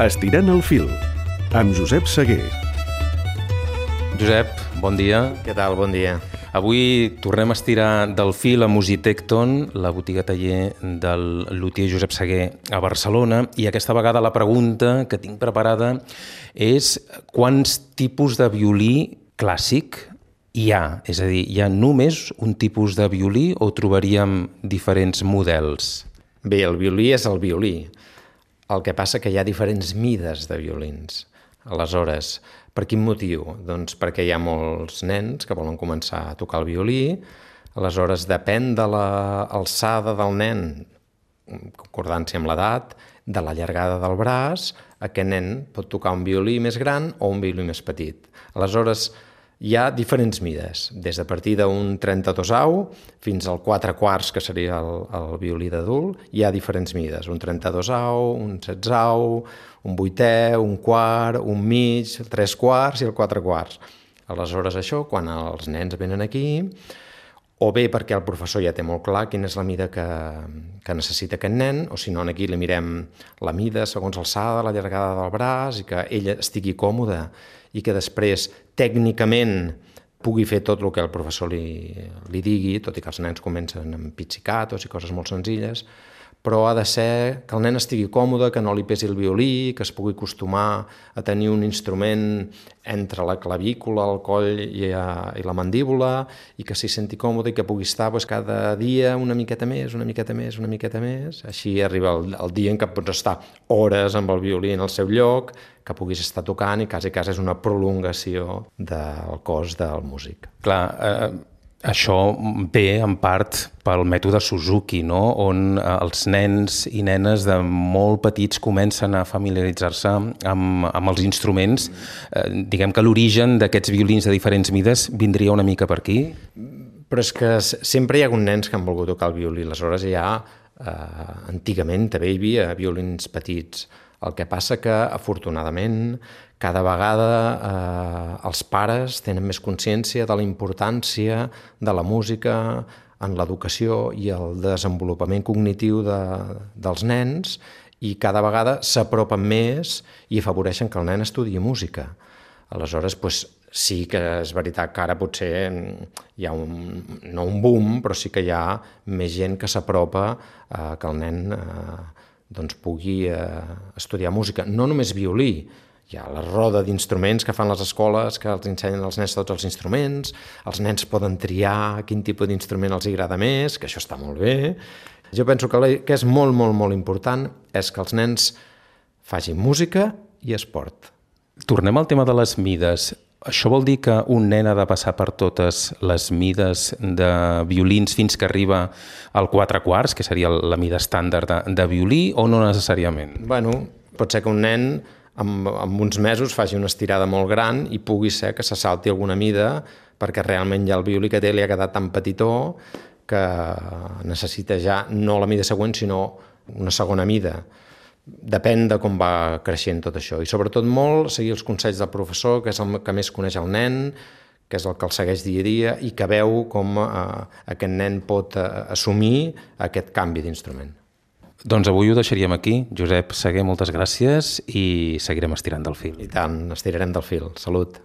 Estirant el fil, amb Josep Seguer. Josep, bon dia. Què tal? Bon dia. Avui tornem a estirar del fil a Musitecton, la botiga taller del lutier Josep Seguer a Barcelona, i aquesta vegada la pregunta que tinc preparada és quants tipus de violí clàssic hi ha? És a dir, hi ha només un tipus de violí o trobaríem diferents models? Bé, el violí és el violí. El que passa que hi ha diferents mides de violins. Aleshores, per quin motiu? Doncs perquè hi ha molts nens que volen començar a tocar el violí. Aleshores, depèn de l'alçada del nen, concordància amb l'edat, de la llargada del braç, aquest nen pot tocar un violí més gran o un violí més petit. Aleshores, hi ha diferents mides, des de partir d'un 32au fins al 4/4, que seria el violí d'adult, hi ha diferents mides, un 32au, un 16au, un 8è, un quart, un mig, 3/4 i el 4/4. Aleshores això, quan els nens venen aquí, o bé perquè el professor ja té molt clar quina és la mida que necessita aquest nen, o si no, aquí li mirem la mida segons l'alçada, la llargada del braç, i que ella estigui còmoda i que després tècnicament pugui fer tot el que el professor li digui, tot i que els nens comencen amb pizzicatos i coses molt senzilles, però ha de ser que el nen estigui còmode, que no li pesi el violí, que es pugui acostumar a tenir un instrument entre la clavícula, el coll i la mandíbula, i que s'hi senti còmode i que pugui estar cada dia una miqueta més, una miqueta més, una miqueta més. Així arriba el dia en què pots estar hores amb el violí en el seu lloc, que puguis estar tocant i quasi és una prolongació del cos del músic. Clar, això ve en part pel mètode Suzuki, no? On els nens i nenes de molt petits comencen a familiaritzar-se amb els instruments. Diguem que l'origen d'aquests violins de diferents mides vindria una mica per aquí? Però és que sempre hi ha hagut nens que han volgut tocar el violí. Aleshores antigament també hi havia violins petits. El que passa que, afortunadament, cada vegada els pares tenen més consciència de la importància de la música en l'educació i el desenvolupament cognitiu dels nens, i cada vegada s'apropen més i afavoreixen que el nen estudiï música. Aleshores, sí que és veritat que ara potser hi ha no un boom, però sí que hi ha més gent que s'apropa que el nen pugui estudiar música. No només violí, hi ha la roda d'instruments que fan les escoles, que els ensenyen als nens tots els instruments, els nens poden triar quin tipus d'instrument els agrada més, que això està molt bé. Jo penso que és molt, molt, molt important és que els nens facin música i esport. Tornem al tema de les mides. Això vol dir que un nen ha de passar per totes les mides de violins fins que arriba al 4/4, que seria la mida estàndard de violí, o no necessàriament? Bueno, pot ser que un nen amb uns mesos faci una estirada molt gran i pugui ser que se salti alguna mida perquè realment ja el violí que té li ha quedat tan petitó que necessita ja no la mida següent sinó una segona mida. Depèn de com va creixent tot això i sobretot molt seguir els consells del professor, que és el que més coneix el nen, que és el que el segueix dia a dia i que veu com aquest nen pot assumir aquest canvi d'instrument. Doncs avui ho deixaríem aquí. Josep Seguer, moltes gràcies i seguirem estirant del fil. I tant, estirarem del fil. Salut.